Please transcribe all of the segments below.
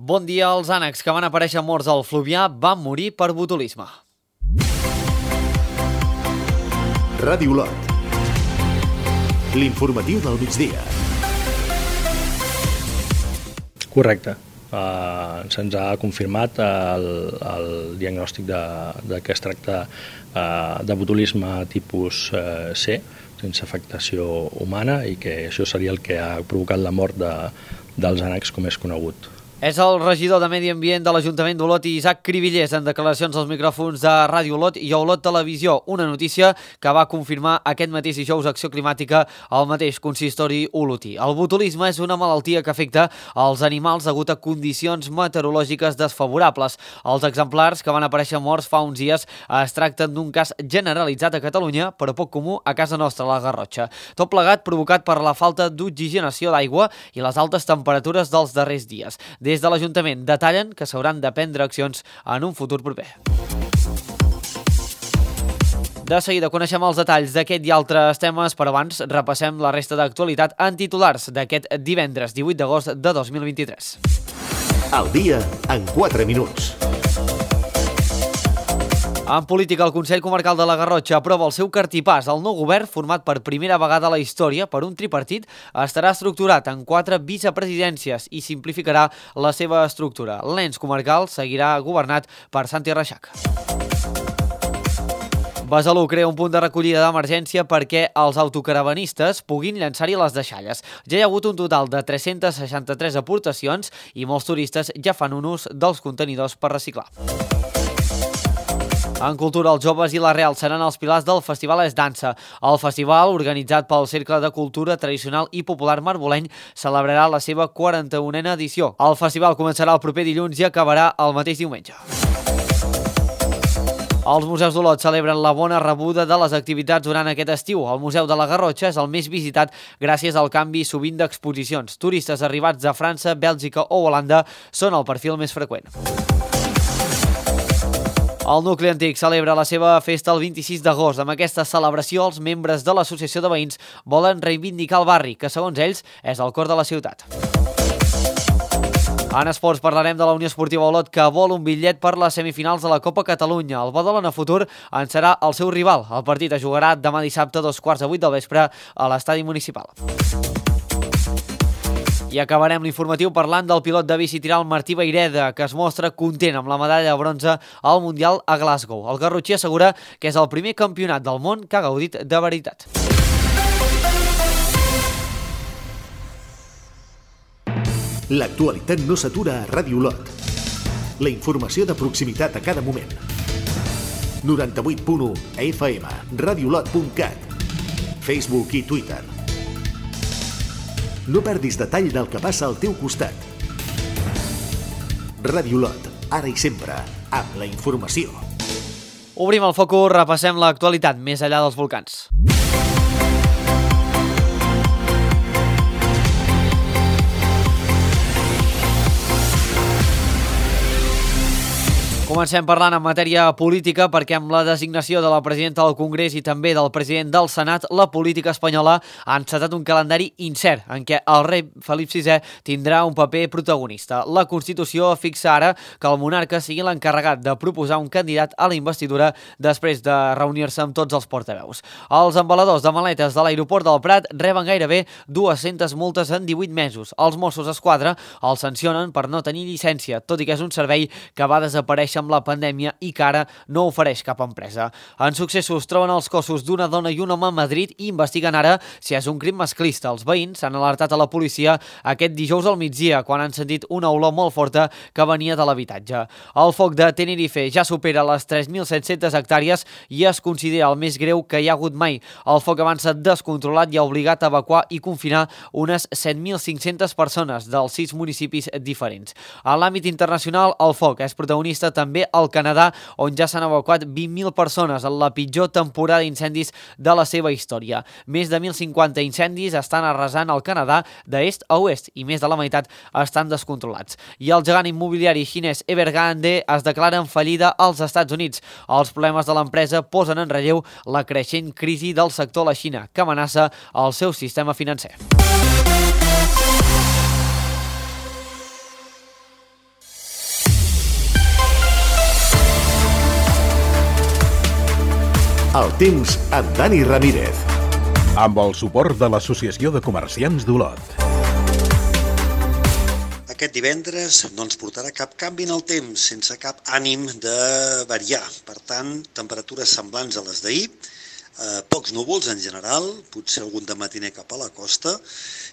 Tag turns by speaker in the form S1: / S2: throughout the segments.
S1: Bon dia. Els ànecs que van aparèixer morts al Fluvià van morir per botulisme.
S2: Ràdio Olot. L'informatiu del migdia.
S3: Correcte. Se'ns ha confirmat el diagnòstic de que es tracta de botulisme tipus C, sense afectació humana, i que això seria el que ha provocat la mort dels ànecs, com és conegut.
S1: És el regidor de Medi Ambient de l'Ajuntament d'Olot, Isaac Cribillers, en declaracions als micròfons de Ràdio Olot i Olot Televisió. Una notícia que va confirmar aquest mateix dijous Acció Climàtica al mateix consistori olotí. El botulisme és una malaltia que afecta als animals degut a condicions meteorològiques desfavorables. Els exemplars que van aparèixer morts fa uns dies es tracten d'un cas generalitzat a Catalunya, però poc comú a casa nostra, a la Garrotxa. Tot plegat provocat per la falta d'oxigenació d'aigua i les altes temperatures dels darrers dies. Des de l'Ajuntament detallen que s'hauran de prendre accions en un futur proper. De seguida coneixem els detalls d'aquest i altres temes, però abans repassem la resta d'actualitat en titulars d'aquest divendres 18 d'agost de 2023.
S2: Al dia en 4 minuts.
S1: En política, el Consell Comarcal de la Garrotxa aprova el seu cartipàs. El nou govern, format per primera vegada a la història per un tripartit, estarà estructurat en 4 vicepresidències i simplificarà la seva estructura. L'ens comarcal seguirà governat per Santi Reixac. Besalú crea un punt de recollida d'emergència perquè els autocaravanistes puguin llançar-hi les deixalles. Ja hi ha hagut un total de 363 aportacions i molts turistes ja fan un ús dels contenidors per reciclar. En cultura, els joves i la Real seran els pilars del Festival Es Dansa. El festival, organitzat pel Cercle de Cultura Tradicional i Popular Marboleny, celebrarà la seva 41a edició. El festival començarà el proper dilluns i acabarà el mateix diumenge. Els museus d'Olot celebren la bona rebuda de les activitats durant aquest estiu. El Museu de la Garrotxa és el més visitat gràcies al canvi sovint d'exposicions. Turistes arribats de França, Bèlgica o Holanda són el perfil més freqüent. El nucli antic celebra la seva festa el 26 d'agost. Amb aquesta celebració, els membres de l'Associació de Veïns volen reivindicar el barri, que segons ells és el cor de la ciutat. En esports parlarem de la Unió Esportiva Olot, que vol un bitllet per les semifinals de la Copa Catalunya. El Badalona Futur en serà el seu rival. El partit es jugarà demà dissabte a 7:15 del vespre a l'estadi municipal. I acabarem l'informatiu parlant del pilot de bici tiral Martí Vayreda, que es mostra content amb la medalla de bronze al Mundial a Glasgow. El garrotxí assegura que és el primer campionat del món que ha gaudit de veritat.
S2: L'actualitat no s'atura a Ràdio Olot. La informació de proximitat a cada moment. 98.1 FM, radioolot.cat, Facebook i Twitter. No perdis detall del que passa al teu costat. Ràdio Olot, ara i sempre, amb la informació.
S1: Obrim el focus, repassem l'actualitat més enllà dels volcans. Comencem parlant en matèria política perquè amb la designació de la presidenta del Congrés i també del president del Senat, la política espanyola ha encetat un calendari incert en què el rei Felip VI tindrà un paper protagonista. La Constitució fixa ara que el monarca sigui l'encarregat de proposar un candidat a la investidura després de reunir-se amb tots els portaveus. Els embaladors de maletes de l'aeroport del Prat reben gairebé 200 multes en 18 mesos. Els Mossos d'Esquadra els sancionen per no tenir llicència, tot i que és un servei que va desaparèixer amb la pandèmia i que ara no ofereix cap empresa. En successos troben els cossos d'una dona i un home a Madrid i investiguen ara si és un crim masclista. Els veïns s'han alertat a la policia aquest dijous al migdia quan han sentit una olor molt forta que venia de l'habitatge. El foc de Tenerife ja supera les 3.700 hectàrees i es considera el més greu que hi ha hagut mai. El foc avança descontrolat i ha obligat a evacuar i confinar unes 7.500 persones dels 6 municipis diferents. En l'àmbit internacional, el foc és protagonista també al Canadà, on ja s'han evacuat 20.000 persones en la pitjor temporada d'incendis de la seva història. Més de 1.050 incendis estan arrasant el Canadà d'est a oest i més de la meitat estan descontrolats. I el gegant immobiliari xinès Evergrande es declara en fallida als Estats Units. Els problemes de l'empresa posen en relleu la creixent crisi del sector a la Xina, que amenaça el seu sistema financer.
S2: El temps amb Dani Ramírez.
S4: Amb el suport de l'Associació de Comerciants d'Olot.
S5: Aquest divendres no ens portarà cap canvi en el temps, sense cap ànim de variar. Per tant, temperatures semblants a les d'ahir, pocs núvols en general, potser algun de matiner cap a la costa,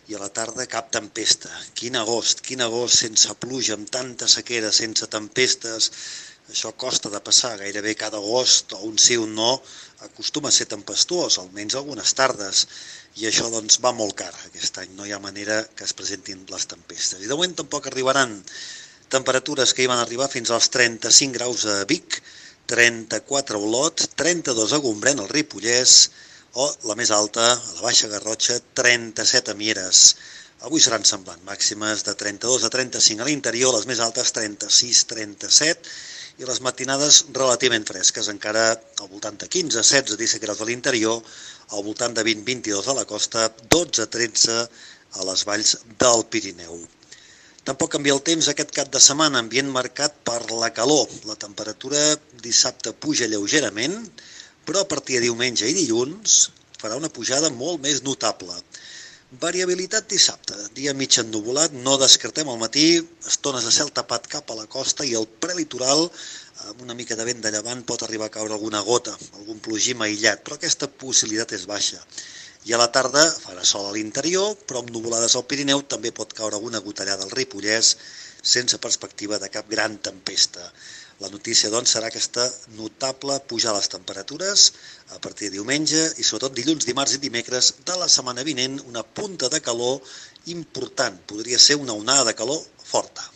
S5: i a la tarda cap tempesta. Quin agost sense pluja, amb tanta sequera, sense tempestes. Això costa de passar, gairebé cada agost, o un sí o un no, acostuma a ser tempestuós, almenys algunes tardes, i això doncs va molt car aquest any, no hi ha manera que es presentin les tempestes. I de moment tampoc arribaran temperatures que hi van arribar fins als 35 graus a Vic, 34 a Olot, 32 a Gombrèn, al Ripollès, o la més alta, a la Baixa Garrotxa, 37 a Mieres. Avui seran semblant, màximes de 32 a 35 a l'interior, les més altes 36, 37, i les matinades relativament fresques, encara al voltant de 15, 16, 17 graus a l'interior, al voltant de 20, 22 a la costa, 12, 13 a les valls del Pirineu. Tampoc canvia el temps aquest cap de setmana, ambient marcat per la calor. La temperatura dissabte puja lleugerament, però a partir de diumenge i dilluns farà una pujada molt més notable. Variabilitat dissabte, dia mig ennuvolat, no descartem al matí, estones de cel tapat cap a la costa i el prelitoral, amb una mica de vent de llevant, pot arribar a caure alguna gota, algun plogim aïllat, però aquesta possibilitat és baixa. I a la tarda farà sol a l'interior, però amb nuvolades al Pirineu també pot caure alguna gotellada al Ripollès, sense perspectiva de cap gran tempesta. La notícia, doncs, serà aquesta notable pujar les temperatures a partir de diumenge i sobretot dilluns, dimarts i dimecres de la setmana vinent, una punta de calor important. Podria ser una onada de calor forta.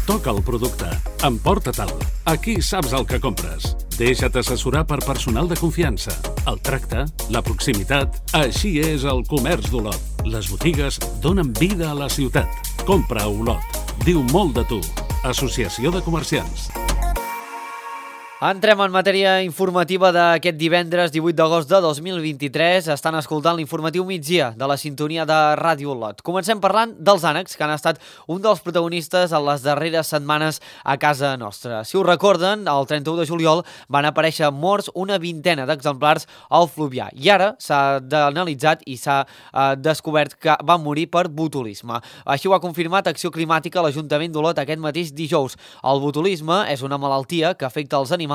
S6: Toca el producte. Emporta-te'l. Aquí saps el que compres. Deixa't assessorar per personal de confiança. El tracte, la proximitat... Així és el comerç d'Olot. Les botigues donen vida a la ciutat. Compra a Olot. Diu molt de tu. Associació de Comerciants.
S1: Entrem en matèria informativa d'aquest divendres 18 d'agost de 2023. Estan escoltant l'informatiu migdia de la sintonia de Ràdio Olot. Comencem parlant dels ànecs, que han estat un dels protagonistes en les darreres setmanes a casa nostra. Si us recorden, el 31 de juliol van aparèixer morts una vintena d'exemplars al Fluvià. I ara s'ha analitzat i s'ha descobert que van morir per botulisme. Així ho ha confirmat Acció Climàtica a l'Ajuntament d'Olot aquest mateix dijous. El botulisme és una malaltia que afecta els animals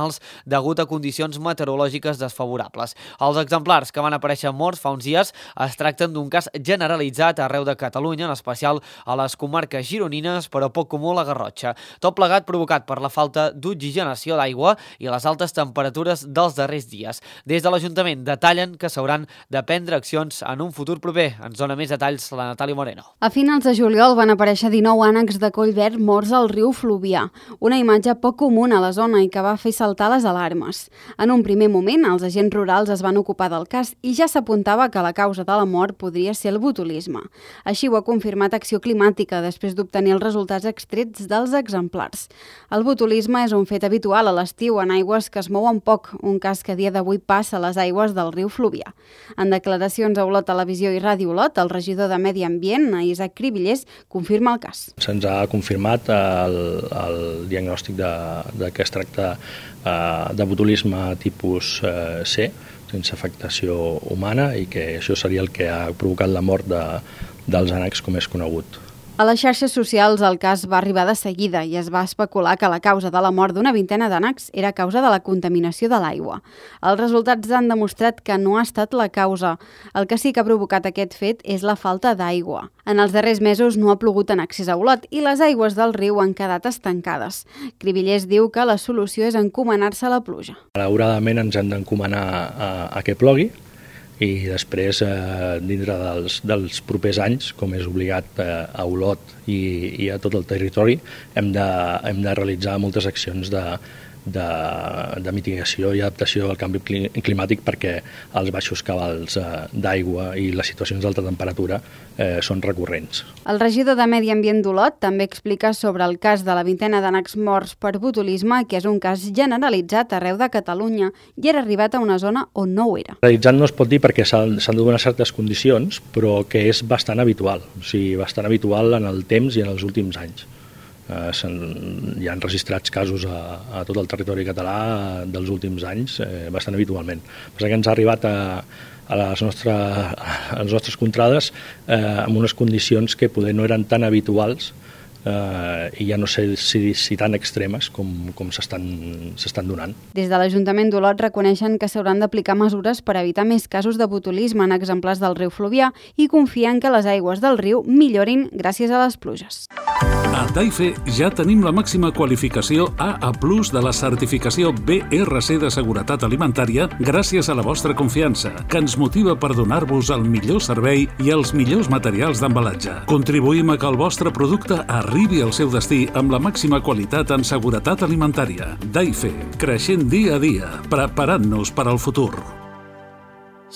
S1: degut a condicions meteorològiques desfavorables. Els exemplars que van aparèixer morts fa uns dies es tracten d'un cas generalitzat arreu de Catalunya, en especial a les comarques gironines, però poc comú a la Garrotxa. Tot plegat provocat per la falta d'oxigenació d'aigua i les altes temperatures dels darrers dies. Des de l'Ajuntament detallen que s'hauran de prendre accions en un futur proper. Ens dona més detalls la Natàlia Moreno.
S7: A finals de juliol van aparèixer 19 ànecs de coll verd morts al riu Fluvià, una imatge poc comuna a la zona i que va fer saltar les alarmes. En un primer moment, els agents rurals es van ocupar del cas i ja s'apuntava que la causa de la mort podria ser el botulisme. Així ho ha confirmat Acció Climàtica després d'obtenir els resultats extrets dels exemplars. El botulisme és un fet habitual a l'estiu en aigües que es mouen poc, un cas que a dia d'avui passa a les aigües del riu Fluvià. En declaracions a Olot Televisió i Ràdio Olot, el regidor de Medi Ambient, Isaac Cribillers, confirma el cas.
S3: Se'ns ha confirmat el diagnòstic de que es tracta de botulisme tipus C, sense afectació humana, i que això seria el que ha provocat la mort dels ànecs, com és conegut.
S7: A les xarxes socials el cas va arribar de seguida i es va especular que la causa de la mort d'una vintena d'ànecs era a causa de la contaminació de l'aigua. Els resultats han demostrat que no ha estat la causa. El que sí que ha provocat aquest fet és la falta d'aigua. En els darrers mesos no ha plogut en excés a Olot i les aigües del riu han quedat estancades. Cribillers diu que la solució és encomanar-se a la pluja.
S3: Malauradament ens hem d'encomanar a que plogui, i després, dintre dels propers anys, com és obligat a Olot i a tot el territori, hem de realitzar moltes accions de mitigació i adaptació al canvi climàtic, perquè els baixos cabals d'aigua i les situacions d'alta temperatura són recurrents.
S7: El regidor de Medi Ambient d'Olot també explica sobre el cas de la vintena d'ànecs morts per botulisme, que és un cas generalitzat arreu de Catalunya i era arribat a una zona on no ho era.
S3: Generalitzat no es pot dir perquè s'han de donar certes condicions, però que és bastant habitual, bastant habitual en el temps i en els últims anys. Hi han registrats casos a tot el territori català dels últims anys bastant habitualment. Però que ens ha arribat a les nostres contrades amb unes condicions que poder no eren tan habituals i ja no sé si tan extremes com s'estan donant.
S7: Des de l'Ajuntament d'Olot reconeixen que s'hauran d'aplicar mesures per evitar més casos de botulisme en exemplars del riu Fluvià i confien que les aigües del riu millorin gràcies a les pluges.
S6: A Taife ja tenim la màxima qualificació AA+ de la certificació BRC de seguretat alimentària gràcies a la vostra confiança, que ens motiva per donar-vos el millor servei i els millors materials d'embalatge. Contribuïm a que el vostre producte arribi al seu destí amb la màxima qualitat en seguretat alimentària. Taife, creixent dia a dia, preparant-nos per al futur.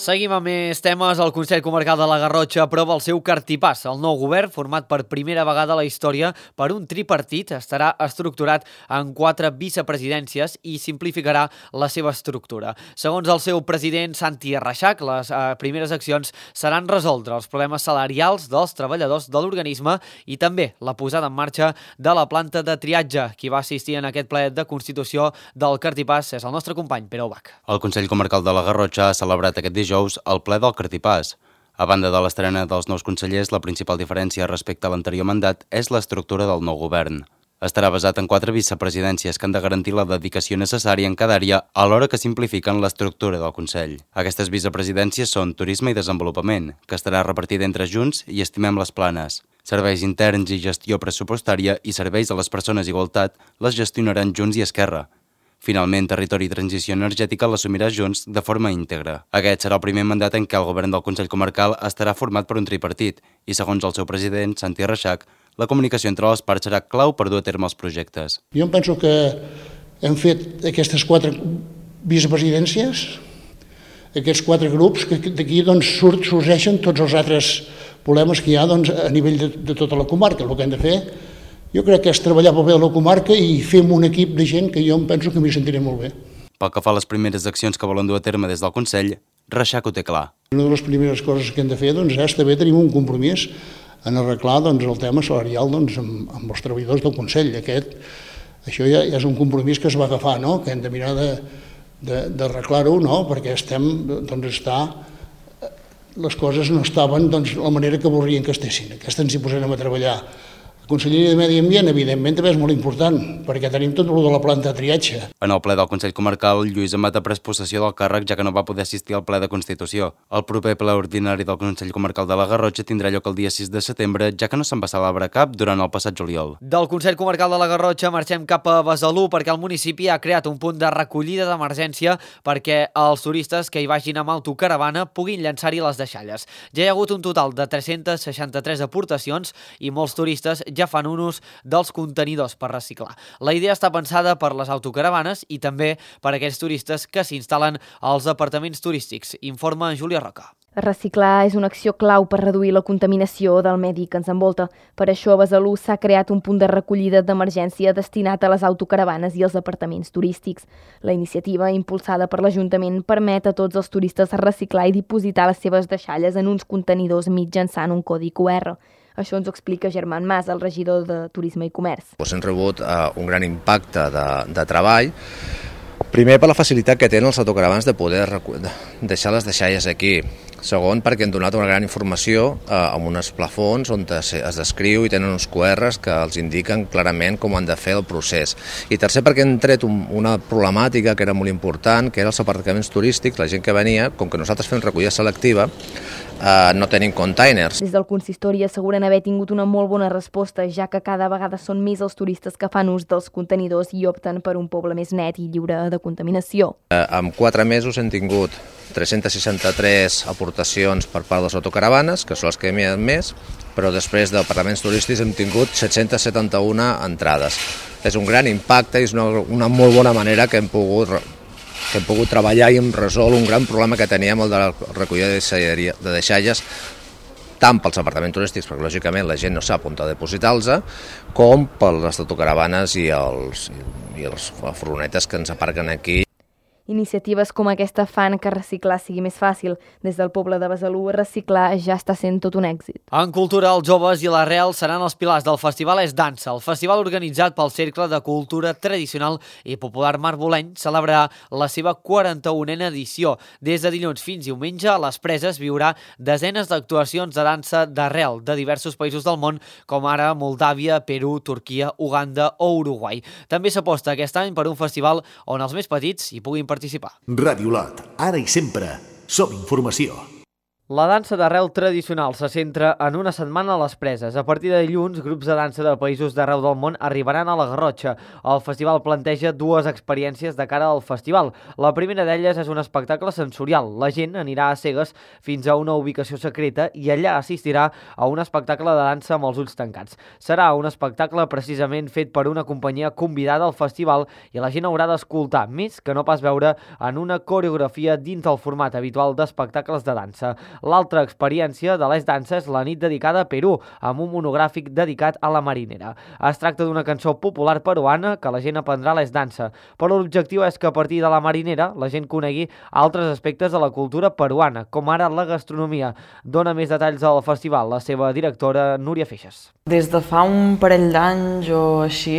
S1: Seguim amb més temes. El Consell Comarcal de la Garrotxa aprova el seu cartipàs. El nou govern, format per primera vegada a la història per un tripartit, estarà estructurat en 4 vicepresidències i simplificarà la seva estructura. Segons el seu president, Santi Reixac, les primeres accions seran resoldre els problemes salarials dels treballadors de l'organisme i també la posada en marxa de la planta de triatge. Qui va assistir en aquest ple de constitució del cartipàs és el nostre company, Pere Ubach.
S8: El Consell Comarcal de la Garrotxa ha celebrat aquest dijous el ple del cartipàs. A banda de l'estrena dels nous consellers, la principal diferència respecte a l'anterior mandat és l'estructura del nou govern. Estarà basat en 4 vicepresidències que han de garantir la dedicació necessària en cada àrea alhora que simplifiquen l'estructura del Consell. Aquestes vicepresidències són Turisme i Desenvolupament, que estarà repartida entre Junts i Estimem les Planes. Serveis interns i gestió pressupostària i serveis a les persones i igualtat les gestionaran Junts i Esquerra. Finalment, Territori i Transició Energètica l'assumirà Junts de forma íntegra. Aquest serà el primer mandat en què el govern del Consell Comarcal estarà format per un tripartit i, segons el seu president, Santi Reixac, la comunicació entre les parts serà clau per dur a terme els projectes.
S9: Jo penso que hem fet aquestes 4 vicepresidències, aquests 4 grups, que d'aquí sorgeixen tots els altres problemes que hi ha a nivell de tota la comarca. El que hem de fer, jo crec que és treballar pel bé de la comarca i fer un equip de gent que jo em penso que m'hi sentiré molt bé.
S8: Pel que fa a les primeres accions que volen dur a terme des del Consell, Reixac ho té clar.
S9: Una de les primeres coses que hem de fer és també tenir un compromís en arreglar el tema salarial amb els treballadors del Consell. Això ja és un compromís que es va agafar, que hem de mirar d'arreglar-ho, perquè les coses no estaven de la manera que voldrien que estessin. Aquesta ens hi posarem a treballar. La Conselleria de Medi Ambient, evidentment, també és molt important, perquè tenim tot el de la planta de triatge.
S8: En el ple del Consell Comarcal, Lluís Amat ha pres possessió del càrrec, ja que no va poder assistir al ple de Constitució. El proper ple ordinari del Consell Comarcal de la Garrotxa tindrà lloc el dia 6 de setembre, ja que no se'n va celebrar cap durant el passat juliol.
S1: Del Consell Comarcal de la Garrotxa marxem cap a Besalú, perquè el municipi ha creat un punt de recollida d'emergència perquè els turistes que hi vagin amb autocaravana puguin llançar-hi les deixalles. Ja hi ha hagut un total de 363 aportacions i molts turistes ja fan ús dels contenidors per reciclar. La idea està pensada per les autocaravanes i també per aquells turistes que s'instal·len als apartaments turístics, informa Júlia Roca.
S10: Reciclar és una acció clau per reduir la contaminació del medi que ens envolta. Per això a Besalú s'ha creat un punt de recollida d'emergència destinat a les autocaravanes i als apartaments turístics. La iniciativa, impulsada per l'Ajuntament, permet a tots els turistes reciclar i dipositar les seves deixalles en uns contenidors mitjançant un codi QR. Això ens ho explica Germán Mas, el regidor de Turisme i Comerç.
S11: Hem rebut un gran impacte de treball. Primer, per la facilitat que tenen els autocaravans de poder deixar les deixalles aquí. Segon, perquè han donat una gran informació amb uns plafons on es descriu i tenen uns QRs que els indiquen clarament com han de fer el procés. I tercer, perquè han tret una problemàtica que era molt important, que eren els aparcaments turístics, la gent que venia, com que nosaltres fem recollida selectiva, no tenim containers.
S10: Des del consistori asseguren haver tingut una molt bona resposta, ja que cada vegada són més els turistes que fan ús dels contenidors i opten per un poble més net i lliure de contaminació.
S11: En 4 mesos hem tingut 363 aportacions per part de les autocaravanes, que són les que hem més, però després d'apartaments turístics hem tingut 771 entrades. És un gran impacte i és una molt bona manera que hem pogut treballar i hem resolt un gran problema que teníem, el de la recollida de deixalles, tant pels apartaments turístics, perquè lògicament la gent no sap on depositar-los, com per les autocaravanes i les furgonetes que ens aparquen aquí.
S10: Iniciatives com aquesta fan que reciclar sigui més fàcil. Des del poble de Besalú, reciclar ja està sent tot un èxit.
S1: En cultura, els joves i l'arrel seran els pilars del festival És Dansa. El festival organitzat pel Cercle de Cultura Tradicional i Popular Marboleny celebrarà la seva 41a edició. Des de dilluns fins diumenge, a les Preses viurà desenes d'actuacions de dansa d'arrel de diversos països del món, com ara Moldàvia, Perú, Turquia, Uganda o Uruguai. També s'aposta aquest any per un festival on els més petits hi puguin participar.
S2: Ràdio Lot, ara i sempre, som informació.
S1: La dansa d'arrel tradicional se centra en una setmana a les Preses. A partir de dilluns, grups de dansa de països d'arreu del món arribaran a la Garrotxa. El festival planteja dues experiències de cara al festival. La primera d'elles és un espectacle sensorial. La gent anirà a cegues fins a una ubicació secreta i allà assistirà a un espectacle de dansa amb els ulls tancats. Serà un espectacle precisament fet per una companyia convidada al festival i la gent haurà d'escoltar més que no pas veure en una coreografia dins del format habitual d'espectacles de dansa. L'altra experiència de l'És Dansa és la nit dedicada a Perú, amb un monogràfic dedicat a la marinera. Es tracta d'una cançó popular peruana que la gent aprendrà a l'És Dansa, però l'objectiu és que a partir de la marinera la gent conegui altres aspectes de la cultura peruana, com ara la gastronomia. Dona més detalls al festival la seva directora Núria Feixas.
S12: Des de fa un parell d'anys o així,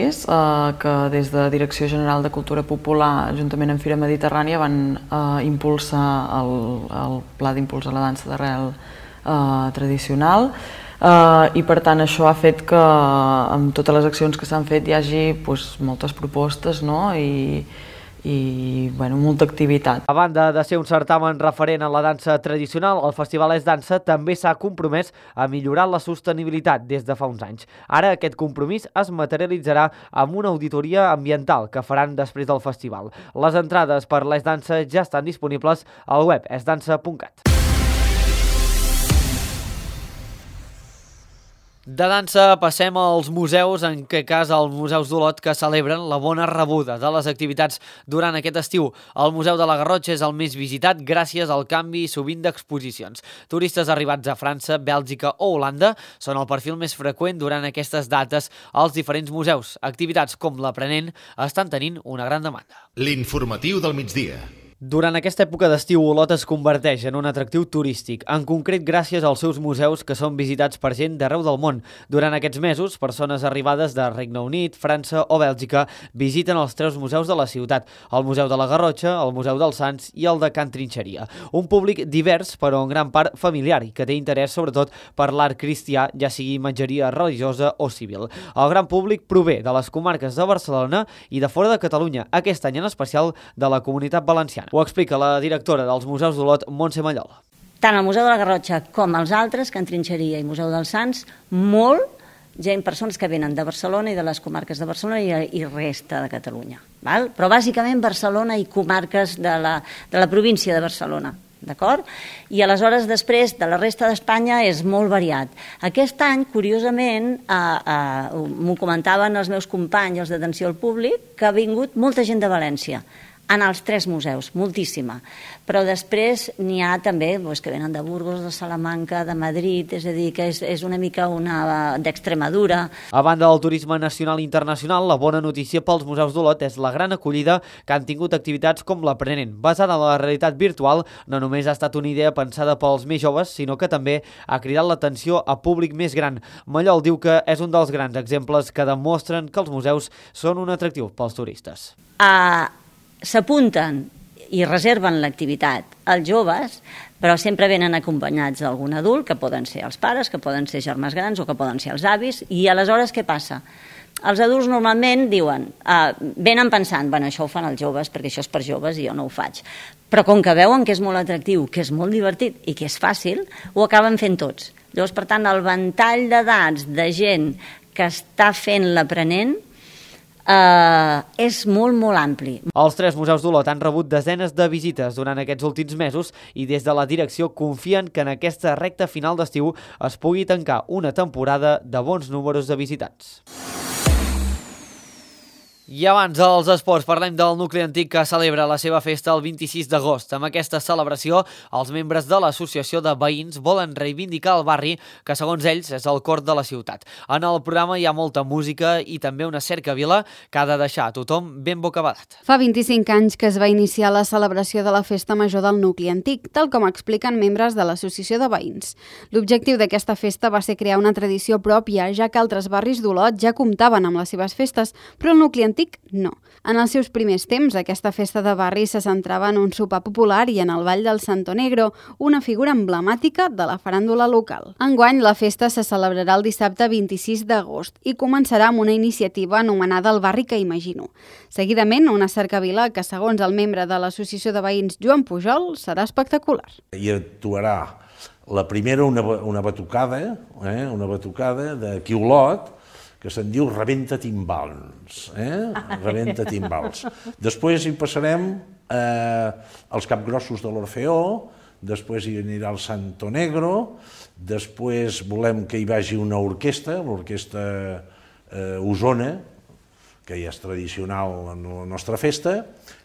S12: que des de Direcció General de Cultura Popular, juntament amb Fira Mediterrània, van impulsar el pla d'impulsar la dansa d'arrel tradicional i per tant això ha fet que amb totes les accions que s'han fet hi hagi moltes propostes i molta activitat.
S1: A banda de ser un certamen referent en la dansa tradicional, el Festival És Dansa també s'ha compromès a millorar la sostenibilitat des de fa uns anys. Ara aquest compromís es materialitzarà amb una auditoria ambiental que faran després del festival. Les entrades per l'És Dansa ja estan disponibles al web esdansa.cat. De dansa passem als museus, en aquest cas als museus d'Olot, que celebren la bona rebuda de les activitats durant aquest estiu. El Museu de la Garrotxa és el més visitat gràcies al canvi sovint d'exposicions. Turistes arribats a França, Bèlgica o Holanda són el perfil més freqüent durant aquestes dates als diferents museus. Activitats com l'aprenent estan tenint una gran demanda.
S2: L'informatiu del migdia.
S1: Durant aquesta època d'estiu, Olot es converteix en un atractiu turístic, en concret gràcies als seus museus que són visitats per gent d'arreu del món. Durant aquests mesos, persones arribades de Regne Unit, França o Bèlgica visiten els 3 museus de la ciutat, el Museu de la Garrotxa, el Museu dels Sants i el de Can Trinxeria. Un públic divers, però en gran part familiar i que té interès sobretot per l'art cristià, ja sigui imatgeria religiosa o civil. El gran públic prové de les comarques de Barcelona i de fora de Catalunya, aquest any en especial de la Comunitat Valenciana. Ho explica la directora dels Museus d'Olot, Montse Mallol.
S13: Tant el Museu de la Garrotxa com els altres, Can Trinxeria i Museu dels Sants, persones que venen de Barcelona i de les comarques de Barcelona i resta de Catalunya. Però bàsicament Barcelona i comarques de la província de Barcelona. D'acord? I aleshores després de la resta d'Espanya és molt variat. Aquest any, curiosament, m'ho comentaven els meus companys, els d'atenció al públic, que ha vingut molta gent de València en els 3 museus, moltíssima. Però després n'hi ha també que venen de Burgos, de Salamanca, de Madrid, és a dir, que és una mica d'Extremadura.
S1: A banda del turisme nacional i internacional, la bona notícia pels museus d'Olot és la gran acollida que han tingut activitats com l'aprenent. Basada en la realitat virtual, no només ha estat una idea pensada pels més joves, sinó que també ha cridat l'atenció a públic més gran. Mallol diu que és un dels grans exemples que demostren que els museus són un atractiu pels turistes.
S13: S'apunten i reserven l'activitat als joves, però sempre venen acompanyats d'algun adult, que poden ser els pares, que poden ser germans grans o que poden ser els avis, i aleshores què passa? Els adults normalment diuen, venen pensant, això ho fan els joves perquè això és per joves i jo no ho faig. Però com que veuen que és molt atractiu, que és molt divertit i que és fàcil, ho acaben fent tots. Llavors, per tant, el ventall d'edats de gent que està fent l'aprenent és molt, molt ampli.
S1: Els 3 museus d'Olot han rebut desenes de visites durant aquests últims mesos i des de la direcció confien que en aquesta recta final d'estiu es pugui tancar una temporada de bons números de visitants. I abans dels esports parlem del nucli antic que celebra la seva festa el 26 d'agost. Amb aquesta celebració, els membres de l'associació de veïns volen reivindicar el barri que, segons ells, és el cor de la ciutat. En el programa hi ha molta música i també una cercavila que ha de deixar a tothom ben bocabadat.
S7: Fa 25 anys que es va iniciar la celebració de la festa major del nucli antic, tal com expliquen membres de l'associació de veïns. L'objectiu d'aquesta festa va ser crear una tradició pròpia, ja que altres barris d'Olot ja comptaven amb les seves festes, però el nucli antic no. En els seus primers temps, aquesta festa de barri se centrava en un sopar popular i en el ball del Santo Negro, una figura emblemàtica de la faràndula local. Enguany, la festa se celebrarà el dissabte 26 d'agost i començarà amb una iniciativa anomenada El barri que imagino. Seguidament, una cercavila que, segons el membre de l'associació de veïns Joan Pujol, serà espectacular.
S14: I actuarà la primera una batucada d'aquí a Olot, que se'n diu Rebenta Timbals. Rebenta Timbals. Després hi passarem als capgrossos de l'Orfeó, després hi anirà el Santo Negro, després volem que hi vagi una orquestra, l'orquestra Osona, que ja és tradicional en la nostra festa,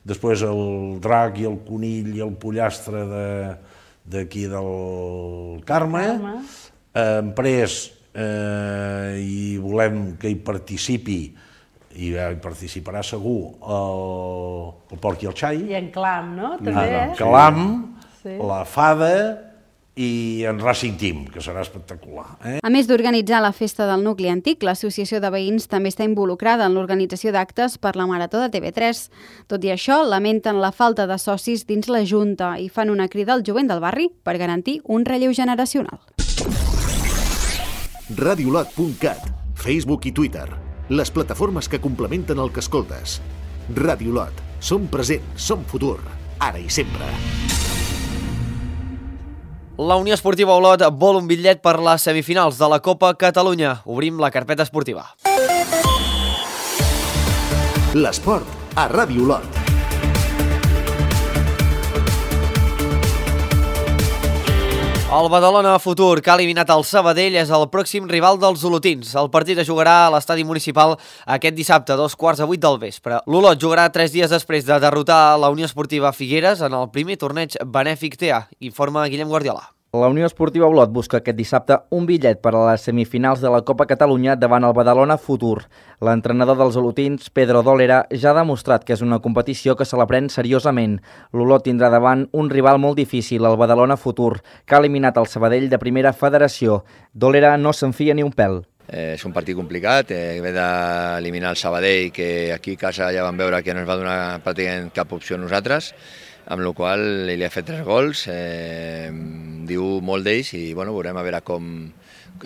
S14: després el drac i el conill i el pollastre d'aquí del Carme, després i volem que hi participi, i hi participarà segur el porc i el xai.
S15: I en Clam, no? També,
S14: Clam, la Fada i en Racing Team, que serà espectacular.
S7: A més d'organitzar la festa del nucli antic, l'associació de veïns també està involucrada en l'organització d'actes per la Marató de TV3. Tot i això, lamenten la falta de socis dins la Junta i fan una crida al jovent del barri per garantir un relleu generacional.
S2: Radiolot.cat, Facebook i Twitter, les plataformes que complementen el que escoltes. Radiolot, som present, som futur, ara i sempre.
S1: La Unió Esportiva Olot vol un bitllet per les semifinals de la Copa Catalunya. Obrim la carpeta esportiva.
S2: L'esport a Radiolot.
S1: El Badalona Futur, que ha eliminat el Sabadell, és el pròxim rival dels olotins. El partit es jugarà a l'estadi municipal aquest dissabte a 7:15 del vespre. L'Olot jugarà 3 dies després de derrotar la Unió Esportiva Figueres en el primer torneig benèfic TA, informa Guillem Guardiola.
S16: La Unió Esportiva Olot busca aquest dissabte un bitllet per a les semifinals de la Copa Catalunya davant el Badalona Futur. L'entrenador dels olotins, Pedro Dólera, ja ha demostrat que és una competició que se la pren seriosament. L'Olot tindrà davant un rival molt difícil, el Badalona Futur, que ha eliminat el Sabadell de primera federació. Dólera no se'n fia ni un pèl.
S17: És un partit complicat, ve d'eliminar el Sabadell, que aquí a casa ja vam veure que no ens va donar pràcticament cap opció a nosaltres, amb la qual li ha fet 3 gols, diu molt d'ells i veurem a veure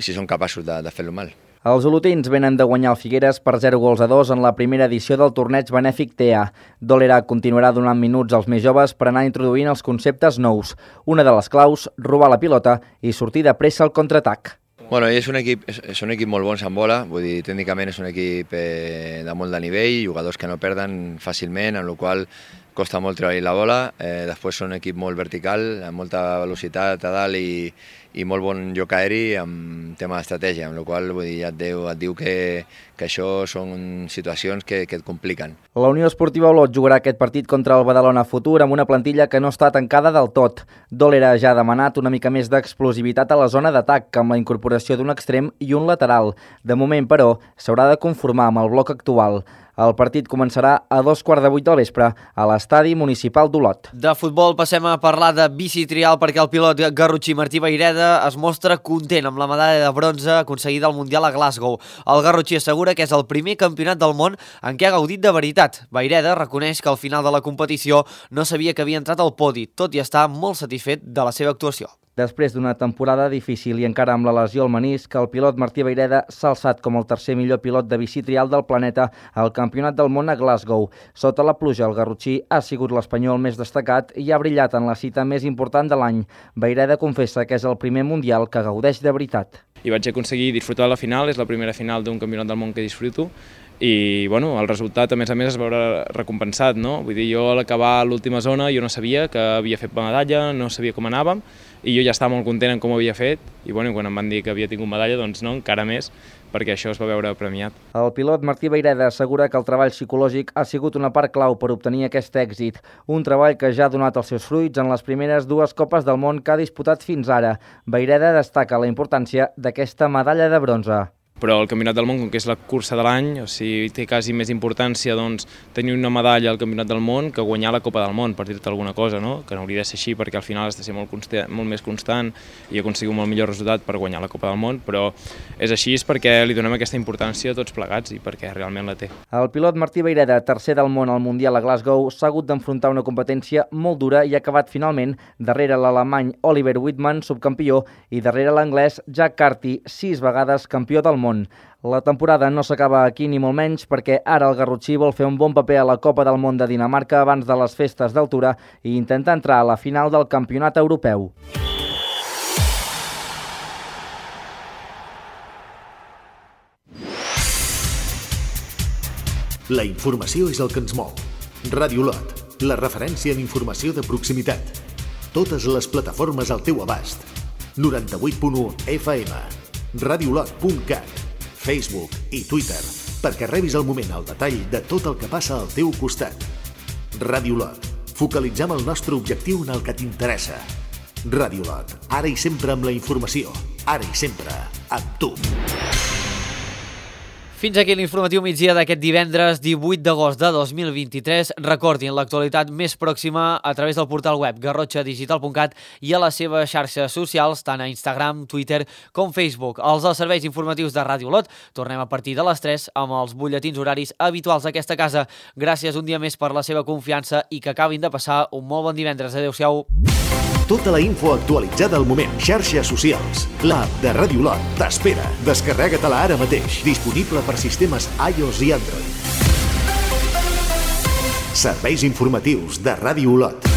S17: si són capaços de fer-lo mal.
S16: Els olotins venen de guanyar el Figueres per 0-2 en la primera edició del torneig benèfic TA. Dólera continuarà donant minuts als més joves per anar introduint els conceptes nous. Una de les claus, robar la pilota i sortir de pressa al contraatac.
S17: És un equip molt bons amb bola, vull dir, tècnicament és un equip de molt de nivell, jugadors que no perden fàcilment, amb la qual costa molt treure la bola, després són un equip molt vertical, amb molta velocitat a dalt i molt bon joc aeri amb tema d'estratègia, amb la qual ja et diu que això són situacions que et compliquen.
S16: La Unió Esportiva Olot jugarà aquest partit contra el Badalona Futur amb una plantilla que no està tancada del tot. Dólera ja ha demanat una mica més d'explosivitat a la zona d'atac, amb la incorporació d'un extrem i un lateral. De moment, però, s'haurà de conformar amb el bloc actual. El partit començarà a 7:15 del vespre a l'estadi municipal d'Olot.
S1: De futbol passem a parlar de bici trial perquè el pilot garrotxí Martí Vayreda es mostra content amb la medalla de bronze aconseguida al Mundial a Glasgow. El garrotxí assegura que és el primer campionat del món en què ha gaudit de veritat. Vayreda reconeix que al final de la competició no sabia que havia entrat al podi, tot i estar molt satisfet de la seva actuació.
S16: Després d'una temporada difícil i encara amb la lesió al menisc, el pilot Martí Vayreda s'ha alçat com el tercer millor pilot de bici trial del planeta al Campionat del Món a Glasgow. Sota la pluja, el garrotxí ha sigut l'espanyol més destacat i ha brillat en la cita més important de l'any. Vayreda confessa que és el primer mundial que gaudeix de veritat.
S18: I vaig aconseguir disfrutar de la final, és la primera final d'un Campionat del Món que disfruto, i el resultat a més es veurà recompensat, no? Vull dir, jo a l'acabar l'última zona jo no sabia que havia fet medalla, no sabia com anàvem, i jo ja estava molt content en com ho havia fet, i bueno, quan em van dir que havia tingut medalla, doncs no, encara més, perquè això es va veure premiat.
S16: El pilot Martí Vayreda assegura que el treball psicològic ha sigut una part clau per obtenir aquest èxit, un treball que ja ha donat els seus fruits en les primeres 2 Copes del Món que ha disputat fins ara. Vayreda destaca la importància d'aquesta medalla de bronze.
S18: Però el Campionat del Món, com que és la cursa de l'any, o sigui, té quasi més importància doncs, tenir una medalla al Campionat del Món que guanyar la Copa del Món, per dir-te alguna cosa, no? Que no hauria de ser així perquè al final has de ser molt més constant i aconseguir un molt millor resultat per guanyar la Copa del Món, però és així perquè li donem aquesta importància a tots plegats i perquè realment la té.
S16: El pilot Martí Vayreda, tercer del món al Mundial a Glasgow, s'ha hagut d'enfrontar una competència molt dura i ha acabat finalment darrere l'alemany Oliver Wittmann, subcampió, i darrere l'anglès Jack Carty, 6 vegades campió del món. La temporada no s'acaba aquí ni molt menys perquè ara el garrotxí vol fer un bon paper a la Copa del Món de Dinamarca abans de les festes d'altura i intentar entrar a la final del Campionat Europeu.
S2: La informació és el que ens mou. Ràdio Lot, la referència en informació de proximitat. Totes les plataformes al teu abast. 98.1 FM. radiolot.cat, Facebook i Twitter, perquè rebis al moment el detall de tot el que passa al teu costat. Ràdio Lot, focalitzem el nostre objectiu en el que t'interessa. Ràdio Lot, ara i sempre amb la informació, ara i sempre amb tu.
S1: Fins aquí l'informatiu migdia d'aquest divendres 18 d'agost de 2023. Recordin l'actualitat més pròxima a través del portal web garrotxadigital.cat i a les seves xarxes socials, tant a Instagram, Twitter com Facebook. Els dels serveis informatius de Ràdio Lot tornem a partir de les 3 amb els butlletins horaris habituals d'aquesta casa. Gràcies un dia més per la seva confiança i que acabin de passar un molt bon divendres. Adéu-siau.
S2: Tota la info actualitzada al moment. Xarxes socials. L'app de Ràdio Lot t'espera. Descarrega-te-la ara mateix. Disponible per sistemes iOS i Android. Serveis informatius de Ràdio Lot.